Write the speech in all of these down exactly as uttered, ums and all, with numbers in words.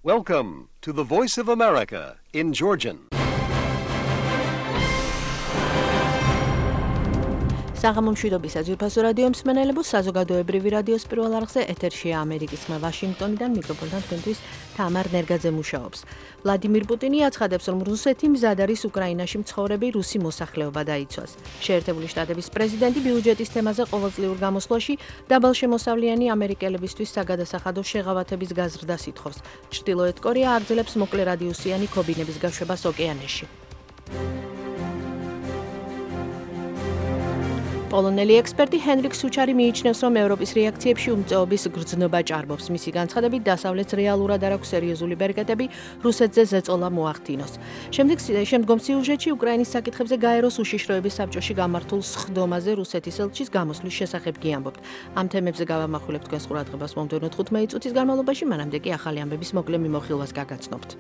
Welcome to the Voice of America in Georgian. საღამო მშვიდობის საძირფასო რადიო მსმენელებო, საზოგადოებრივი რადიოს პირველ არხზე ეთერშია ამერიკის ხმა ვაშინგტონიდან, მიკროფონთან თქვენთვის თამარ ნერგაძე მუშაობს. ვლადიმირ პუტინი აცხადებს, რომ რუსეთი მზად არის უკრაინაში მცხოვრები რუსი მოსახლეობა დაიცვას. შეერთებული შტატების პრეზიდენტი ბიუჯეტის თემაზე ყოველწლიურ გამოსვლაში დაბალშემოსავლიანი ამერიკელებისთვის საგადასახადო შეღავათების გაზრდას ითხოვს. ჩრდილოეთ კორეა აგრძელებს მოკლე რადიუსიანი ქობინების გაშვებას ოკეანეში. პოლონელი ექსპერტი ჰენრიკ სუჩარი მიიჩნევს, რომ ევროპის რეაქციებში უმწეობის გრძნობა ჭარბობს. მისი განცხადებით, დასავლეთს რეალურად არ აქვს სერიოზული ბერკეტები რუსეთზე ზეწოლა მოახდინოს. შემდეგ შემდგომ სიუჟეტში უკრაინის საკითხებზე გაეროს უშიშროების საბჭოში გამართულ სხდომაზე რუსეთის ელჩის გამოსვლის შესახებ გიამბობთ. ამ თემებზე გავამახვილებთ თქვენს ყურადღებას მომდევნო თხუთმეტი წუთის განმავლობაში, მანამდე კი ახალი ამბების მოკლე მიმოხილვას გაგაცნობთ.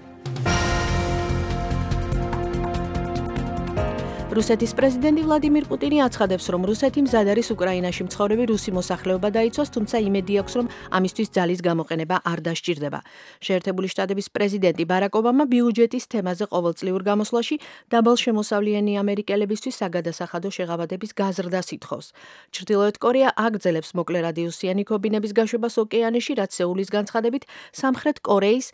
რუსეთის პრეზიდენტი ვლადიმირ პუტინი აცხადებს, რომ რუსეთი მზად არის უკრაინაში მცხოვრები რუსი მოსახლეობა დაიცვას, თუმცა იმედი აქვს, რომ ამისთვის ძალის გამოყენება არ დასჭირდება. შეერთებული შტატების პრეზიდენტი ბარაკ ობამა ბიუჯეტის თემაზე ყოველწლიურ გამოსვლაში დაბალშემოსავლიანი ამერიკელებისთვის საგადასახადო შეღავათების გაზრდას ითხოვს. ჩრდილოეთ კორეა აგრძელებს მოკლე რადიუსიანი ქობინების გაშვებას ოკეანეში, რაც სეულის განცხადებით სამხრეთ კორეის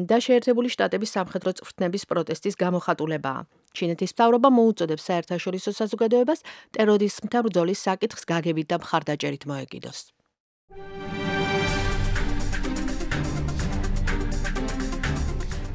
და შეერთებული შტატების სამხედრო წვრთნების პროტესტის გამოხატულებაა. ჩინეთის მთავრობა მოუწოდებს საერთაშორისო საზოგადოებას ტერორიზმთან ბრძოლის საკითხს გაგებით და მხარდაჭერით მოეკიდოს.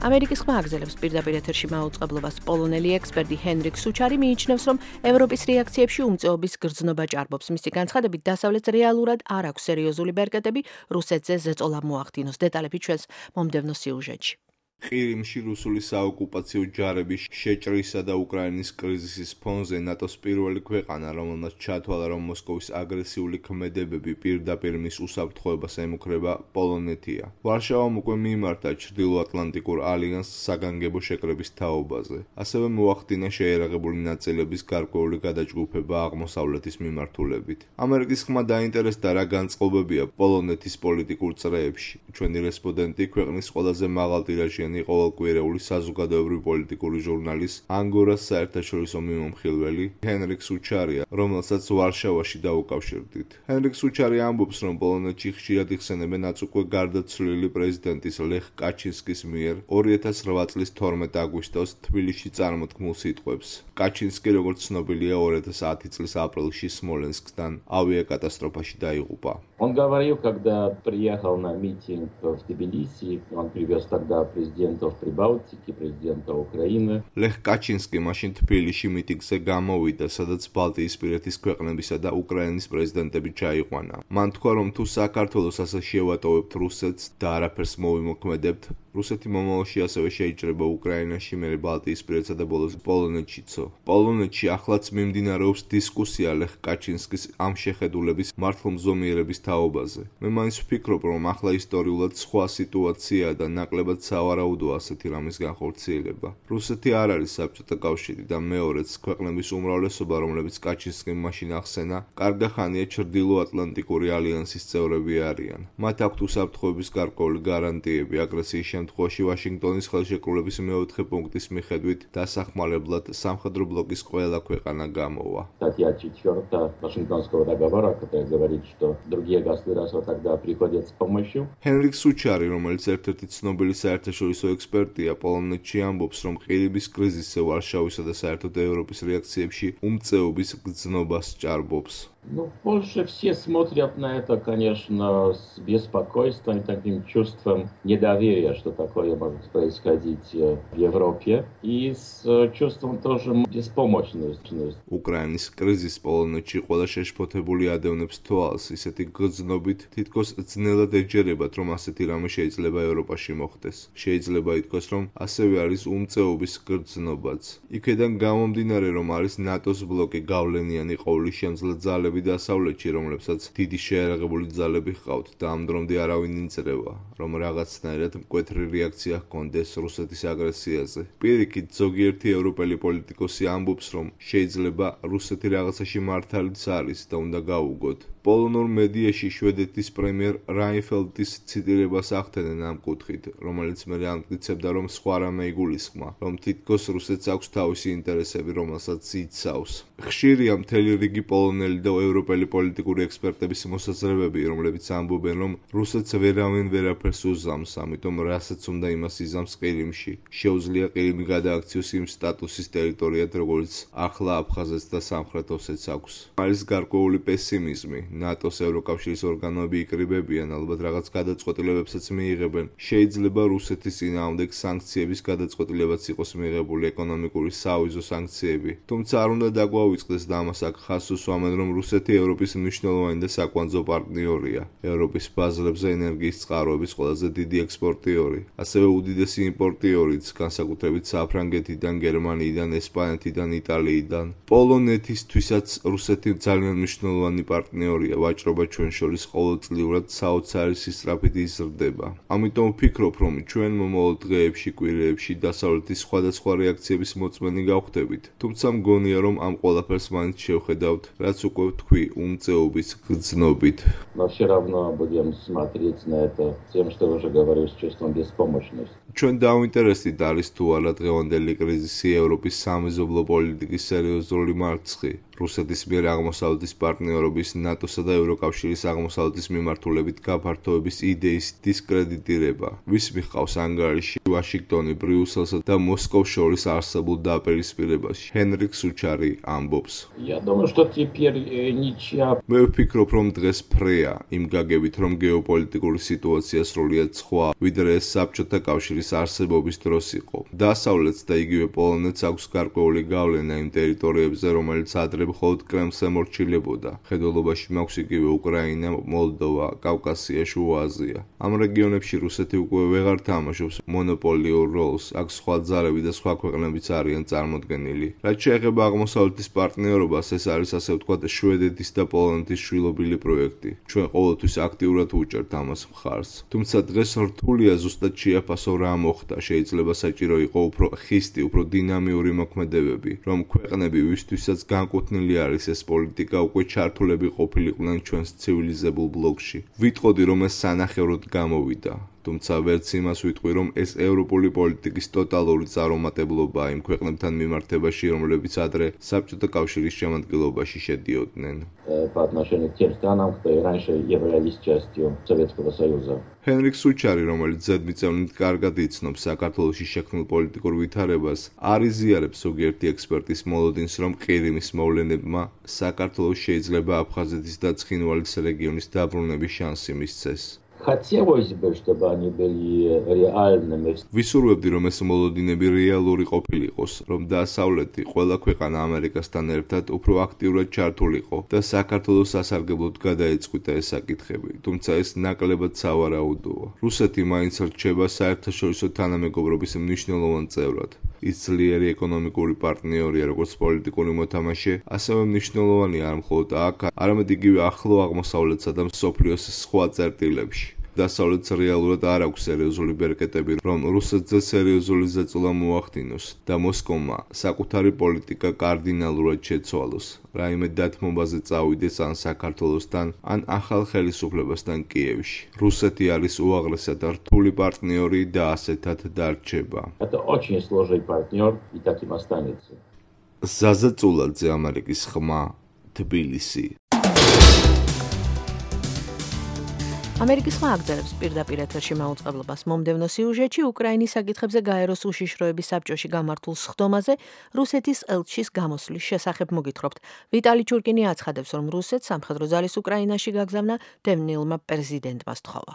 ამერიკის ხმა აგრძელებს პირდაპირ ეთერში მაუწყებლობას. პოლონელი ექსპერტი ჰენრიკ სუჩარი მიიჩნევს, რომ ევროპის რეაქციებში უმწეობის გრძნობა ჭარბობს. მისი განცხადებით, დასავლეთს რეალურად არ აქვს სერიოზული ბერკეტები რუსეთზე ზეწოლა მოახდინოს. დეტალები ჩვენს მომდევნო სიუჟეტში. ყირიმში რუსული საოკუპაციო ჯარების შეჭრისა და უკრაინის კრიზისის ფონზე ნატოს პირველი ქვეყანა, რომელმაც ჩათვალა, რომ მოსკოვის აგრესიული ქმედებები პირდაპირ მის უსაფრთხოებას ემუქრება, პოლონეთია. ვარშავამ უკვე მიმართა ჩრდილოატლანტიკურ ალიანსს საგანგებო შეკრების თაობაზე. ასევე მოახდინა შეერაღებული ნაწილების გარკვეული გადაჯგუფება აღმოსავლეთის მიმართულებით. ამერიკის ხმა დაინტერესდა, რა განწყობებია პოლონეთის პოლიტიკურ წრეებში. ჩვენი რესპონდენტი ქვეყნის ყველაზე მაღალტირაჟიანი ყოველკვირეული საზოგადოებრივი პოლიტიკური ჟურნალის ანგორას საერთაშორისო მიმომხილველი ჰენრიკ სუჩარია, რომელსაც ვარშავაში დაუკავშირდით. ჰენრიკ სუჩარი ამბობს, რომ პოლონეთში ხშირად იხსენებენ აც უკვე გარდაცვლილი პრეზიდენტის ლეხ კაჩინსკის მიერ ორი ათას რვა წლის თორმეტ აგვისტოს თბილისში წარმოთქმულ სიტყვებს. კაჩინსკი, როგორც ცნობილია, ორი ათას ათი წლის апрелში смоленскдан авиакатастрофაში დაიღუპა. Он говорил, когда приехал на митинг в Тбилиси, он привез тогда президентов Прибалтики, президента Украины. ლეხ კაჩინსკი მაშინ თბილისში მიტინგზე გამოვიდა, სადაც ბალტიისპირეთის ქვეყნებისა და უკრაინის პრეზიდენტები ჩაიყვანა. მან თქვა, რომ თუ საქართველოს ასე შევატოვებთ რუსეთს და არაფერს მოვიმოქმედებთ, რუსეთი მომავალში ასევე შეიჭრება უკრაინაში, მერე ბალტიისპირეთსა და ბოლოს პოლონეთშიცო. პოლონეთში ახლაც მიმდინარეობს დისკუსია ლეხ კაჩინსკის ამ შეხედულების მართლმზომიერების თაობაზე. მე მაინც ვფიქრობ, რომ ახლა ისტორიულად სხვა სიტუაციაა და ნაკლებად სავარაუდოა ასეთი რამის განხორციელება. რუსეთი არ არის საბჭოთა კავშირი და მეორეც ქვეყნების უმრავლესობა, რომლებიც კაჩინსკიმ მაშინ ახსენა, კარგახანია ჩრდილოატლანტიკური ალიანსის წევრები არიან. მათ აქვთ უსაფრთხოების გარკვეული გარანტიები აგრესიის შემთხვევაში ვაშინგტონის ხელშეკრულების მეოთხე პუნქტის მიხედვით დასახმარებლად სამხედრო ბლოკის ყველა ქვეყანა გამოვა. Статья четвёртая Вашингтонского договора, которая говорит, что другие государства тогда приходят с помощью. ჰენრიკ სუჩარი, რომელიც ერთ-ერთი ცნობილი საერთაშორისო ექსპერტია, პოლონეთში ამბობს, რომ ყირიმის კრიზისზე ვარშავისა და საერთოდ ევროპის რეაქციებში უმწეობის გრძნობას ჭარბობს. Ну, в Польше все смотрят на это, конечно, с беспокойством и таким чувством недоверия, что такое может происходить в Европе, и с чувством тоже беспомощности. უკრაინის კრიზის პოლონეთში ყველა შეშფოთებული ადევნებს თვალს, ისეთი გრძნობით თითქოს ძნელად ეჯერებათ, რომ ასეთი რამე შეიძლება ევროპაში მოხდეს. შეიძლება ითქვას, რომ ასევე არის უმწეობის გრძნობაც. იქედან გამომდინარე, რომ არის ნატოს ბლოკი, გავლენიანი ყოვლისშემძლე ძალები მცხოვრები დასავლეთში, რომლებსაც დიდი შეიარაღებული ძალები ჰყავთ და ამ დრომდე არავინ ინწრევა, რომ რაღაცნაირად მკვეთრი რეაქცია ჰქონდეს რუსეთის აგრესიაზე. პირიქით, ზოგიერთი ევროპელი პოლიტიკოსი ამბობს, რომ შეიძლება რუსეთი რაღაცაში მართალიც არის და უნდა გაუგოთ. პოლონურ მედიაში შვედეთის პრემიერ რაინფელდის ციტირებას ახდენენ ამ კუთხით, რომელიც მე ამტკიცებდა, რომ სხვა რამე იგულისხმა, რომ თითქოს რუსეთს აქვს თავისი ინტერესები, რომელსაც იცავს. ხშირია მთელი რიგი პოლონელი და ევროპელი პოლიტიკური ექსპერტების მოსაზრებები, რომლებიც ამბობენ, რომ რუსეთს ვერავინ ვერაფერს უზამს, ამიტომ რასაც უნდა იმას იზამს ყირიმში. შეუძლია ყირიმი გადააქციოს იმ სტატუსის ტერიტორიად, როგორც ახლა აფხაზეთს და სამხრეთ ოსეთს აქვს. არის გარკვეული პესიმიზმი. ნატოს ევროკავშირის ორგანოები იკრიბებიან, ალბათ რაღაც გადაწყვეტილებებსაც მიიღებენ. შეიძლება რუსეთის წინააღმდეგ სანქციების გადაწყვეტილებაც იყოს მიიღებული, ეკონომიკური საავიზო სანქციები. თუმცა არ უნდა დაგვავიწყდეს და ამას აქ ხაზს უსვამენ, რომ რუსეთი ევროპის მნიშვნელოვანი და საკვანძო პარტნიორია. ევროპის ბაზრებზე ენერგიის წყაროების ყველაზე დიდი ექსპორტიორი, ასევე უდიდესი იმპორტიორიც, განსაკუთრებით საფრანგეთიდან, გერმანიიდან, ესპანეთიდან, იტალიიდან. პოლონეთისთვისაც რუსეთი ძალიან მნიშვნელოვანი პარტნიორია. ვაჭრობა ჩვენ შორის ყოველწლიურად საოცარი სისწრაფით იზრდება. ამიტომ ვფიქრობ, რომ ჩვენ მომავალ დღეებში, კვირეებში დასავლეთის სხვადასხვა რეაქციების მოწმენი გავხდებით. თუმცა მგონია, რომ ამ ყველაფერს მაინც შევხედავთ, რაც უკვე ვთქვი, უმწეობის გრძნობით. Но все равно будем смотреть на это тем, что уже говорил, с чувством беспомощности. ჩვენ დაუინტერესდით არის თუ არა დღევანდელი კრიზისი ევროპის სამეზობლო პოლიტიკის სერიოზული მარცხი. რუსეთის მიერ აღმოსავლეთის პარტნიორობის, ნატოსა და ევროკავშირის აღმოსავლეთის მიმართულებით გაფართოების იდეის დისკრედიტირება. ვის მიყავს ანგარიში ვაშინგტონი, ბრიუსელსა და მოსკოვს შორის არსებულ დაპირისპირებაში. ჰენრიკ სუჩარი ამბობს. Я думаю, что теперь э, ничья. მე ვფიქრობ, რომ დღეს ფრეა იმ გაგებით, რომ გეოპოლიტიკური სიტუაცია სრულიად სხვა, ვიდრე ეს საბჭოთა კავშირის არსებობის დროს იყო. დასავლეთს და იგივე პოლონეთს აქვს გარკვეული გავლენა იმ ტერიტორიებზე, რომელიც ადრე მხოლოდ კრემლს ემორჩილებოდა. ხედველობაში მაქვს იგივე უკრაინა, მოლდოვა, კავკასია, შუა აზია. ამ რეგიონებში რუსეთი უკვე ვეღარ თამაშობს მონოპოლიურ როლს, აქ სხვა ძალები და სხვა ქვეყნებიც არიან წარმოდგენილი. რაც შეეხება აღმოსავლეთის პარტნიორობას, ეს არის ასე ვთქვათ შვედეთის და პოლონეთის შვილობილი პროექტი. ჩვენ ყოველთვის აქტიურად ვუჭერთ ამას მხარს. თუმცა დღეს რთულია ზუსტად შეაფასო რა მოხდა, შეიძლება საჭირო იყო უფრო ხისტი, უფრო დინამიური მოქმედებები, რომ ქვეყნები, ვისთვისაც განკუთვნილი არის ეს პოლიტიკა, უკვე ჩართულები ყოფილიყვნენ ჩვენს ცივილიზებულ ბლოკში. ვიტყოდი, რომ ეს სანახევროდ გამოვიდა. თუმცა ვერც იმას ვიტყვი, რომ ეს ევროპული პოლიტიკის ტოტალური წარუმატებლობაა იმ ქვეყნებთან მიმართებაში, რომლებიც ადრე საბჭოთა კავშირის შემადგენლობაში შედიოდნენ. По отношению к тем странам, которые раньше являлись частью Советского Союза. ჰენრიკ სუჩარი, რომელიც ზედმიწევნით კარგად იცნობს საქართველოში შექმნილ პოლიტიკურ ვითარებას, არ იზიარებს ზოგიერთი ექსპერტის მოლოდინს, რომ ყირიმის მოვლენებმა საქართველოს შეიძლება აფხაზეთის და ცხინვალის რეგიონის დაბრუნების შანსი მისცეს. Хотелось бы, чтобы они были реальными. ვისურვებდი, რომ ეს მოლოდინები რეალური ყოფილიყოს, რომ დასავლეთი ყველა ქვეყანა ამერიკასთან ერთად უფრო აქტიურად ჩართულიყო და საქართველოს სასარგებლოდ გადაეწყვიტა ეს საკითხები, თუმცა ეს ნაკლებად სავარაუდოა. რუსეთი მაინც რჩება საერთაშორისო თანამეგობრობის მნიშვნელოვან წევრად. ის ძლიერი ეკონომიკური პარტნიორია, როგორც პოლიტიკური მოთამაშე, ასევე მნიშვნელოვანია არ მხოლოდ აქ, არამედ იგივე ახლო აღმოსავლეთსა და მსოფლიოს სხვა წერტილებში. დასავლეთს რეალურად არ აქვს სერიოზული ბერკეტები, რომ რუსეთზე სერიოზული ზეწოლა მოახდინოს და მოსკოვმა საკუთარი პოლიტიკა კარდინალურად შეცვალოს, რაიმე დათმობაზე წავიდეს ან საქართველოსთან, ან ახალ ხელისუფლებასთან კიევში. რუსეთი არის უაღრესად რთული პარტნიორი და ასეთად დარჩება. Это очень сложный партнер и таким останется. ზაზა წულაძე, ამერიკის ხმა, თბილისი. ამერიკის ხმა აგრძელებს პირდაპირ ეთერში მაუწყებლობას. მომდევნო სიუჟეტში უკრაინის საკითხებზე გაეროს უშიშროების საბჭოში გამართულ სხდომაზე რუსეთის ელჩის გამოსვლის შესახებ მოგითხრობთ. ვიტალი ჩურკინი აცხადებს, რომ რუსეთს სამხედრო ძალის უკრაინაში გაგზავნა დევნილმა პრეზიდენტმა სთხოვა.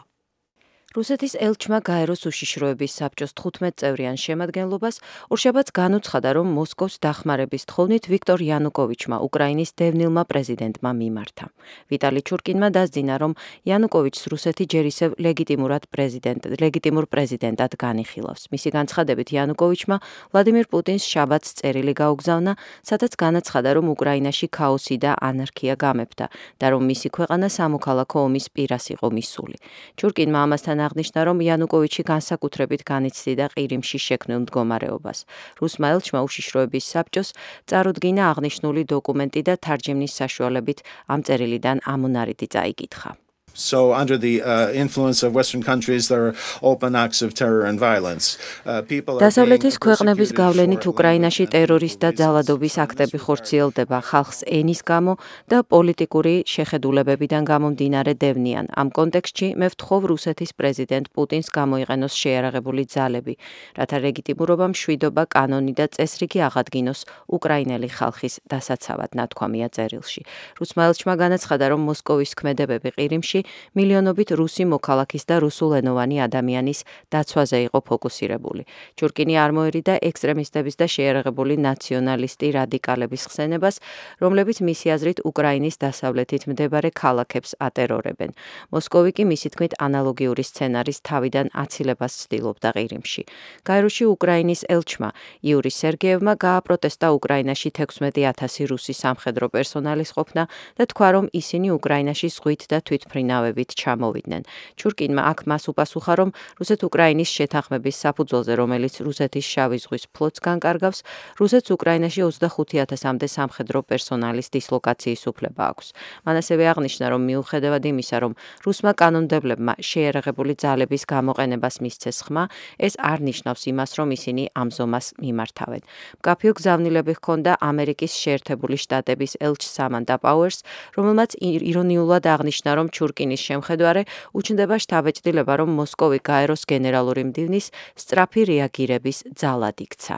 რუსეთის ელჩმა გაეროს უშიშროების საბჭოს თხუთმეტ-წევრიან შემადგენლობას ორშაბათს განუცხადა, რომ მოსკოვს დახმარების თხოვნით ვიქტორ იანუკოვიჩმა უკრაინის დევნილმა პრეზიდენტმა მიმართა. ვიტალი ჩურკინმა დასძინა, რომ იანუკოვიჩს რუსეთი ჯერ ისევ ლეგიტიმურად პრეზიდენტ ლეგიტიმურ პრეზიდენტად განიხილავს. მისი განცხადებით იანუკოვიჩმა ვლადიმირ პუტინს შაბათს წერილი გაუგზავნა, სადაც განაცხადა, რომ უკრაინაში ქაოსი და ანარქია გამეფდა და რომ მისი ქვეყანა სამოქალაქო ომის პირას იყო მისული. ჩურკინმა ამასთან აღნიშნა, რომ იანუკოვიჩი განსაკუთრებით განიცდიდა ყირიმში შექმნილ მდგომარეობას. რუსმა ელჩმა უშიშროების საბჭოს წარუდგინა აღნიშნული დოკუმენტი და თარჯიმნის საშუალებით ამ წერილიდან ამონარიდი წაიკითხა. So under the uh, influence of Western countries, there are open acts of terror and violence. Uh, people are დასავლეთის ქვეყნების გავლენით უკრაინაში ტერორის და ძალადობის აქტები ხორციელდება ხალხს ენის გამო და პოლიტიკური შეხედულებებიდან გამომდინარე დევნიან. ამ კონტექსტში მე ვთხოვ რუსეთის პრეზიდენტ პუტინს გამოიყენოს შეიარაღებული ძალები, რათა ლეგიტიმურობა, მშვიდობა, კანონი და წესრიგი აღადგინოს უკრაინელი ხალხის დასაცავად, ნათქვამია წერილში. რუსმა ელჩმა განაცხადა, რომ მოსკოვის ქმედებები ყირიმში მილიონობით რუსი მოქალაქის და რუსულენოვანი ადამიანის დაცვაზე იყო ფოკუსირებული. ჩურკინი არ მოერიდა ექსტრემისტების და შეიარაღებული ნაციონალისტი რადიკალების ხსენებას, რომლებიც მისი აზრით უკრაინის დასავლეთით მდებარე ქალაქებს ატერორებენ. მოსკოვი კი მისი თქმით ანალოგიური სცენარის თავიდან აცილებას ცდილობდა ყირიმში. გაეროში უკრაინის ელჩმა იური სერგეევმა გააპროტესტა უკრაინაში თექვსმეტი ათასი რუსი სამხედრო პერსონალის ყოფნა და თქვა, რომ ისინი უკრაინაში ზღვით და თვითმფრინავებით ჩამოვიდნენ. ჩურკინმა აქ მას უპასუხა, რომ რუსეთ-უკრაინის შეთანხმების საფუძველზე, რომელიც რუსეთის შავი ზღვის ფლოტს განკარგავს, რუსეთს უკრაინაში ოცდახუთი ათასამდე სამხედრო პერსონალის დისლოკაციის უფლება აქვს. მან ასევე აღნიშნა, რომ მიუხედავად იმისა, რომ რუსმა კანონმდებლებმა შეიარაღებული ძალების გამოყენებას მისცეს ხმა, ეს არ ნიშნავს იმას, რომ ისინი ამ ზომას მიმართავენ. მკაფიო გზავნილები ჰქონდა ამერიკის შეერთებული შტატების ელჩს სამანდა პაუერს, რომელმაც ირონიულად აღნიშნა, რომ ჩურკინის შემხედვარე უჩნდება შთაბეჭდილება, რომ მოსკოვი გაეროს გენერალური მდივნის სწრაფი რეაგირების ძალად იქცა.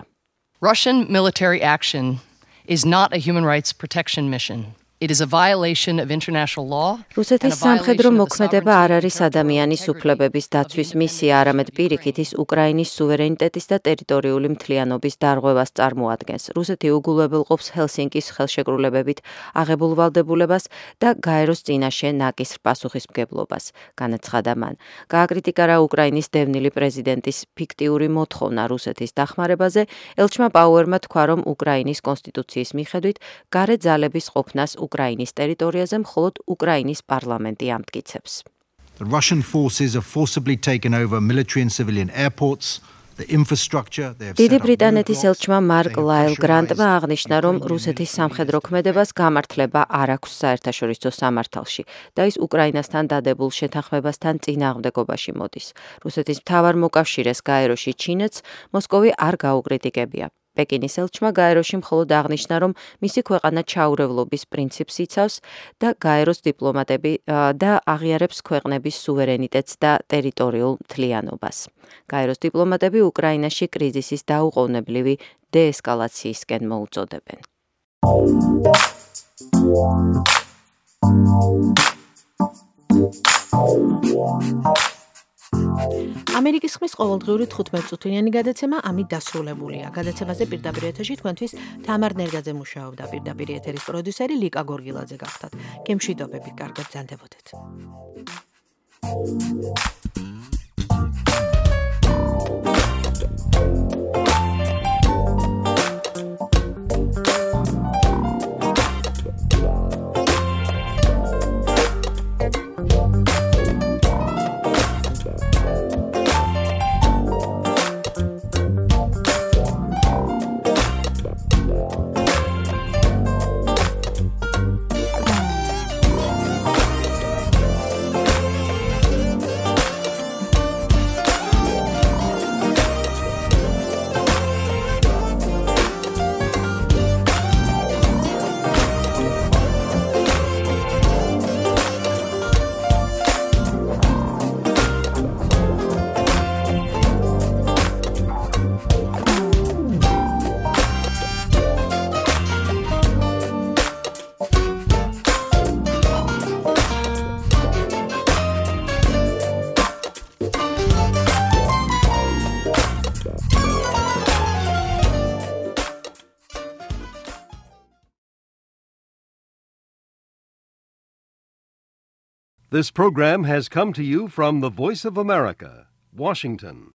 Russian military action is not a human rights protection mission. It is a violation of international law. რუსეთის სამხედრო მოქმედება არ არის ადამიანის უფლებების დაცვის მისია, არამედ პირიქით ის უკრაინის სუვერენიტეტის და ტერიტორიული მთლიანობის დარღვევას წარმოადგენს. რუსეთი უგულებელყოფს ჰელსინკის ხელშეკრულებებით აღებულ ვალდებულებას და გაეროს წინაშე ნაკისრ პასუხისმგებლობას, განაცხადა მან. გააკრიტიკა რა უკრაინის დევნილი პრეზიდენტის ფიქტიური მოთხოვნა რუსეთის დახმარებაზე, ელჩმა პაუერმა თქვა, რომ უკრაინის კონსტიტუციის მიხედვით გარე ძალების ყოფნას უკრაინის ტერიტორიაზე მხოლოდ უკრაინის პარლამენტი ამტკიცებს. The Russian forces have forcibly taken over military and civilian airports, the infrastructure. დიდი ბრიტანეთის ელჩმა მარკ ლაილ გრანტმა აღნიშნა, რომ რუსეთის სამხედრო ქმედებას გამართლება არ აქვს საერთაშორისო სამართალში და ის უკრაინასთან დადებულ შეთანხმებასთან წინააღმდეგობაში მოდის. რუსეთის მთავარ მოკავშირეს გაეროში ჩინეთს მოსკოვი არ გაუკრიტიკებია. პეკინის ელჩმა გაეროში მხოლოდ აღნიშნა, რომ მისი ქვეყანა ჩაურევლობის პრინციპს იცავს და გაეროს დიპლომატები და აღიარებს ქვეყნების სუვერენიტეტს და ტერიტორიულ მთლიანობას. გაეროს დიპლომატები უკრაინაში კრიზისის დაუყოვნებლივი დეესკალაციისკენ მოუწოდებენ. ამერიკის ხმის ყოველდღიური თხუთმეტწუთიანი გადაცემა ამით დასრულებულია. გადაცემაზე პირდაპირ ეთერში თქვენთვის თამარ ნერგაძე მუშაობდა, პირდაპირ ეთერის პროდიუსერი ლიკა გორგილაძე გახდათ. გემშვიდობებით, კარგად ბრძანდებოდეთ. This program has come to you from the Voice of America, Washington.